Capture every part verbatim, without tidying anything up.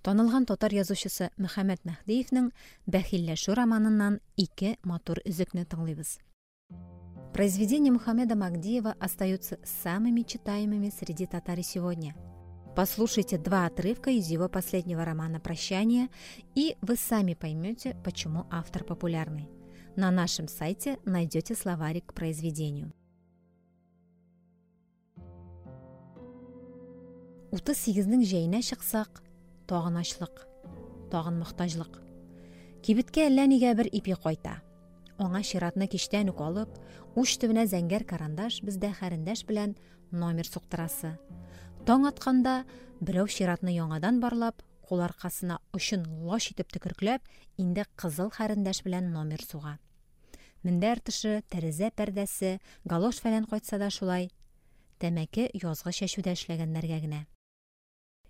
Танылган татар язучысы Мөхәммәт Мәһдиевнең «Бәхилләшү» романыннан ике матур өзекне тыңлыйбыз. Произведения Мухаммеда Магдиева остаются самыми читаемыми среди татар и сегодня. Послушайте два отрывка из его последнего романа «Прощание», и вы сами поймете, почему автор популярный. На нашем сайте найдете словарик к произведению. Утыз сигезнең җәенә чыксак, тагын ачлык, тагын мохтаҗлык. Кибеткә әллә нигә бер ипи кайта. Аңа чиратны кичтән үк алып, уч төбенә зәңгәр карандаш, бездә хәрендәш белән номер суктырасы. Таң атканда берәү чиратны яңадан барлап, кул аркасына очын лач итеп төкеркләп, инде кызыл хәрендәш белән номер суга. Мендәр тышы, тәрәзә пәрдәсе, галош фәлән кайтса да шулай. Тәмәке язгы чәчүдә эшләгәннәргә генә.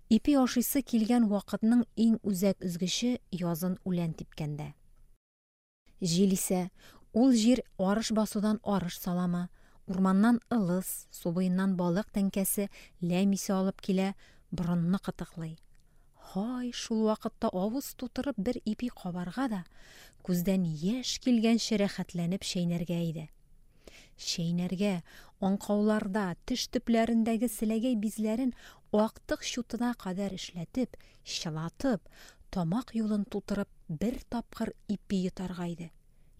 Ипи ашыйсы килгән вакытның иң үзәк өзгече язын үлән типкәндә. Җил исә, ул җир арыш басудан арыш саламы, урманнан ылыс, су буеннан балык тәңкәсе, ләм исе алып килә, борынны кытыклый. Һай, шул вакытта авыз тутырып бер ипи кабарга да, күздән яшь килгәнче рәхәтләнеп чәйнәргә иде. Чәйнәргә, аңкауларда, теш төпләрендәге селәгәй бизләрен актык чутына кадәр эшләтеп, чылатып, тамак юлын тутырып бер тапкыр ипи йотарга иде.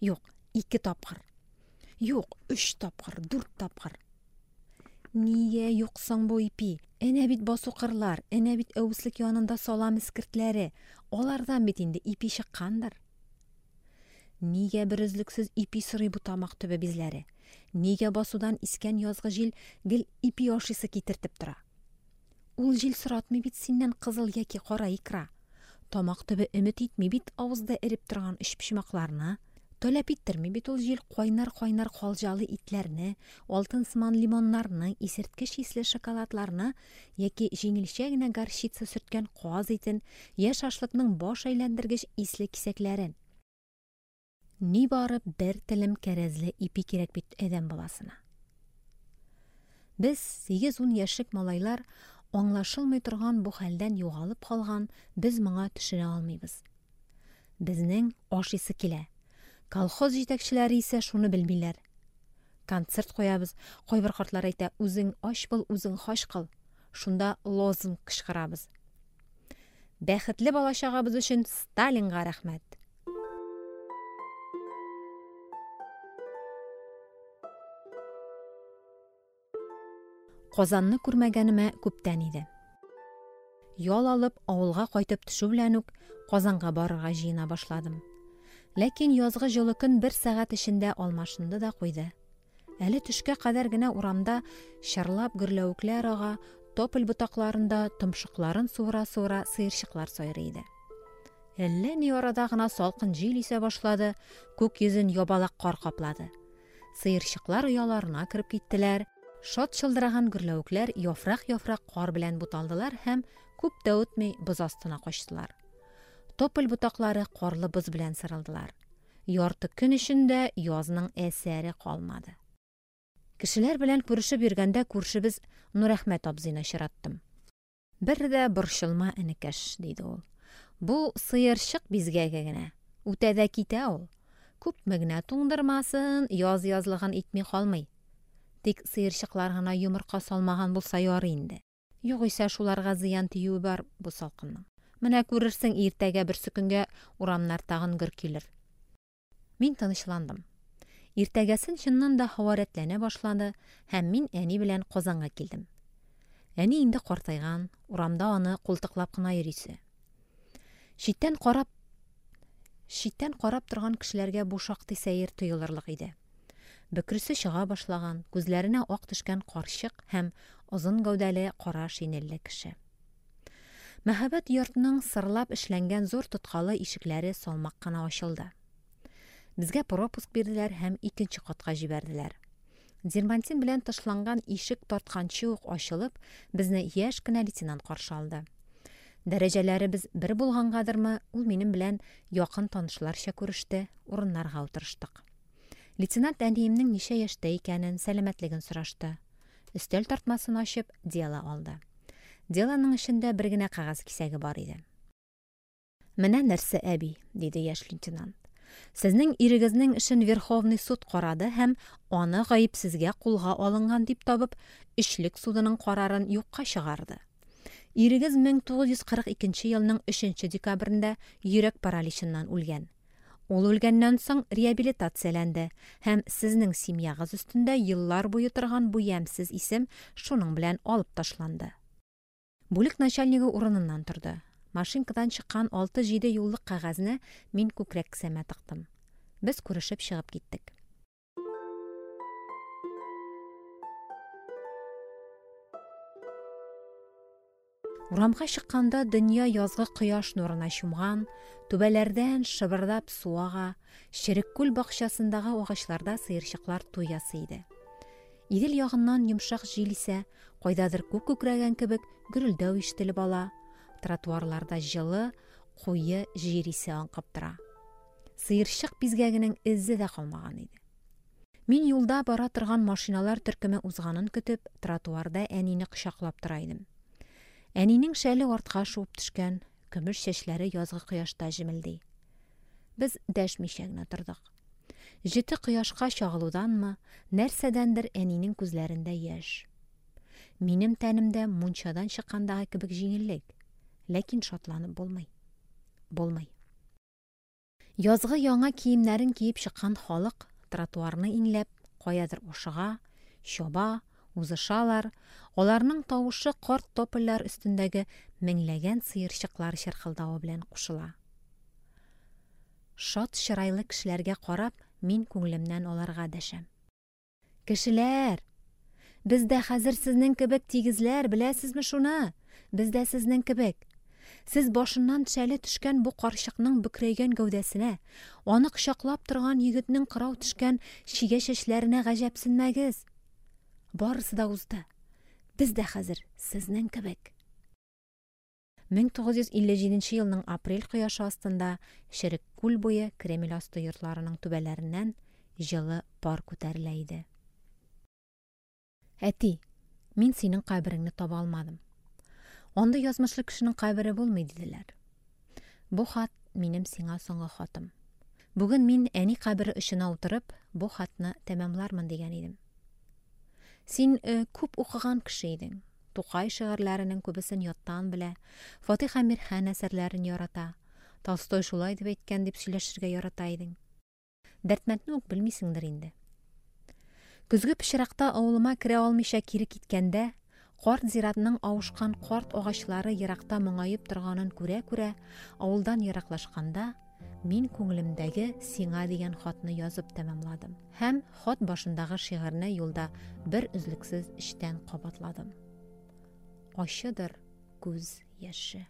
Юк, ике тапкыр. Юк, өч тапкыр, дүрт тапкыр. Нигә юк соң бу ипи? Әнә бит басу-кырлар, әнә бит әвеслек янында салам эскертләре. Алардан бит инде ипи чыккандыр. Нигә берөзлексез ипи сорый бу тамак төбе бизләре? Нигә басудан искән язгы җил гел ипи ашыйсы китертеп тора? Ул җил соратмый бит синнән кызыл яки кара икра. Тамак төбе өмет итми бит авызда эреп торган өчпочмакларны. Таләп иттерми бит ул җил кайнар-кайнар калҗалы итләрне, алтын сыман лимоннарны, исерткеч исле шоколадларны яки җиңелчә генә горчица сөрткән каз итен, я шашлыкның баш әйләндергеч исле кисәкләрен. Ни бары бер телем кәрәзле ипи кирәк бит адәм баласына. Без сигез-ун яшьлек малайлар аңлашылмый торган бу хәлдән югалып калган, без моңа төшенә алмыйбыз. Безнең ашыйсы килә. Колхоз җитәкчеләре исә шуны белмиләр. Концерт куябыз, кайбер картлар әйтә, үзең ач бул, үзең хач кыл. Шунда лозунг кычкырабыз. Бәхетле балачагыбыз өчен Сталинга рәхмәт. Казанны күрмәгәнемә күптән иде. Ял алып, авылга кайтып төшү белән үк Казанга барырга җыена башладым. Ләкин язгы җылы көн бер сәгать эчендә алмашынды да куйды. Әле төшкә кадәр генә урамда чырлап гөрләвекләр ага, тополь ботакларында томшыкларын суыра-суыра сыерчыклар сайрый иде. Әллә ни арада гына салкын җил исә башлады, күк йөзен ябалак кар каплады. Сыерчыклар ояларына кереп киттеләр. Шат чылдыраган гөрләвекләр яфрак-яфрак кар белән буталдылар һәм күп тә үтми боз астына качтылар. Тополь ботаклары карлы боз белән сырылдылар. Ярты көн эчендә язның әсәре калмады. Кешеләр белән күрешеп йөргәндә күршебез Нурәхмәт абзыйны очраттым. Бер дә борчылма, энекәш, диде ул. Бу сыерчык бизгәге генә. Үтә дә китә ул. Күпме генә туңдырмасын, яз язлыгын итми калмый. Тик сыерчыклар гына йомырка салмаган булса ярый инде. Югыйсә шуларга зыян тиюе бар бу салкынның. Менә күрерсең, иртәгә берсе көнгә урамнар тагын гөр килер. Мин тынычландым. Иртәгәсен чыннан да һава рәтләнә башлады һәм мин әни белән Казанга килдем. Әни инде картайган, урамда аны култыклап кына йөрисе. Читтән карап, читтән карап торган кешеләргә бу шактый сәер тоелырлык иде. Бөкресе чыга башлаган, күзләренә ак төшкән карчык һәм озын гәүдәле кара шинельле кеше. Мәһабәт йортның сырлап эшләнгән зур тоткалы ишекләре салмак кына ачылды. Безгә пропуск бирделәр һәм икенче катка җибәрделәр. Дермантин белән тышланган ишек тартканчы ук ачылып, безне яшь кенә лейтенант каршы алды. Дәрәҗәләребез бер булгангадырмы, ул минем белән якын танышларча күреште, урыннарга утырыштык. Лейтенант әниемнең ничә яшьтә икәнен, сәламәтлеген сорашты. Өстәл тартмасын ачып, дело алды. Делоның эчендә бер генә кәгазь кисәге бар иде. Менә нәрсә, әби, диде яшь лейтенант. Сезнең ирегезнең эшен Верховный суд карады һәм аны гаепсезгә кулга алынган дип табып, өчлек судының карарын юкка чыгарды. Ирегез мең тугыз йөз кырык икенче елның өченче декабрендә йөрәк параличыннан үлгән. Ул үлгәннән соң реабилитацияләнде һәм сезнең семьягыз өстендә еллар буе торган бу ямьсез исем шуның белән алып ташланды. Бүлек начальнигы урыныннан торды. Машинкадан чыккан алты-җиде юллык кәгазьне мин күкрәк кесәмә тыктым. Без күрешеп чыгып киттек. Урамга чыкканда дөнья язгы кояш нурына чумган, түбәләрдән шыбырдап су ага, Черек күл бакчасындагы агачларда сыерчыклар туй ясый иде. Идел ягыннан йомшак җил исә, кайдадыр күк күкрәгән кебек гөрелдәү ишетелеп ала, тротуарларда җылы, куе җир исе аңкып тора. Сыерчык бизгәгенең эзе дә калмаган иде. Мин юлда бара торган машиналар төркеме узганын көтеп, тротуарда әнине кочаклап тора идем. Әнинең шәле артка шуып төшкән, көмеш чәчләре язгы кояшта җемелди. Без дәшмичә генә тордык. Җете кояшка чагылуданмы, нәрсәдәндер әнинең күзләрендә яшь. Минем тәнемдә мунчадан чыккандагы кебек җиңеллек, ләкин шатланып булмый. Булмый. Язгы яңа киемнәрен киеп чыккан халык тротуарны иңләп, каядыр ашыга, чаба, узышалар. Аларның тавышы карт топольләр өстендәге меңләгән сыерчыклар чыркылдавы белән кушыла. Шат чырайлы кешеләргә карап, мин күңелемнән аларга дәшәм. Кешеләр, без дә хәзер сезнең кебек тигезләр, беләсезме шуны? Без дә сезнең кебек. Сез башыннан шәле төшкән бу карчыкның бөкрәйгән гәүдәсенә, аны кочаклап торган егетнең кырау төшкән чигә чәчләренә гаҗәпсенмәгез. Барысы да узды. Без дә хәзер сезнең кебек. Мең тугыз йөз илле җиденче елның апрель кояшы астында Черек күл буе Кремль асты йортларының түбәләреннән җылы пар күтәрелә иде. Әти, мин синең кабереңне таба алмадым. Андый язмышлы кешенең кабере булмый, диделәр. Бу хат минем сиңа соңгы хатым. Бүген мин әни кабере очына утырып, бу хатны тәмамлармын дигән идем. Син, э, күп укыган кеше идең. Тукай шигырьләренең күбесен яттан белә, Фатих Әмирхан әсәрләрен ярата, Толстой шулай дип әйткән дип сөйләшергә ярата идең. Дәрдмәндне үк белмисеңдер инде. Көзге пычракта авылыма керә алмыйча кире киткәндә, карт зиратның авышкан карт агачлары еракта моңаеп торганын күрә-күрә, авылдан ераклашканда, мин күңелемдәге сиңа дигән хатны язып тәмамладым. Һәм хат башындагы шигырьне юлда бер өзлексез эчтән кабатладым. Ачыдыр күз яше.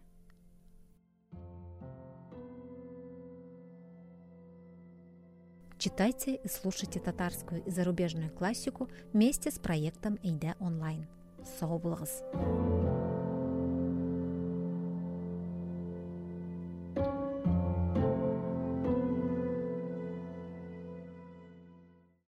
Читайте и слушайте татарскую и зарубежную классику вместе с проектом Әйдә онлайн. Сау булыгыз!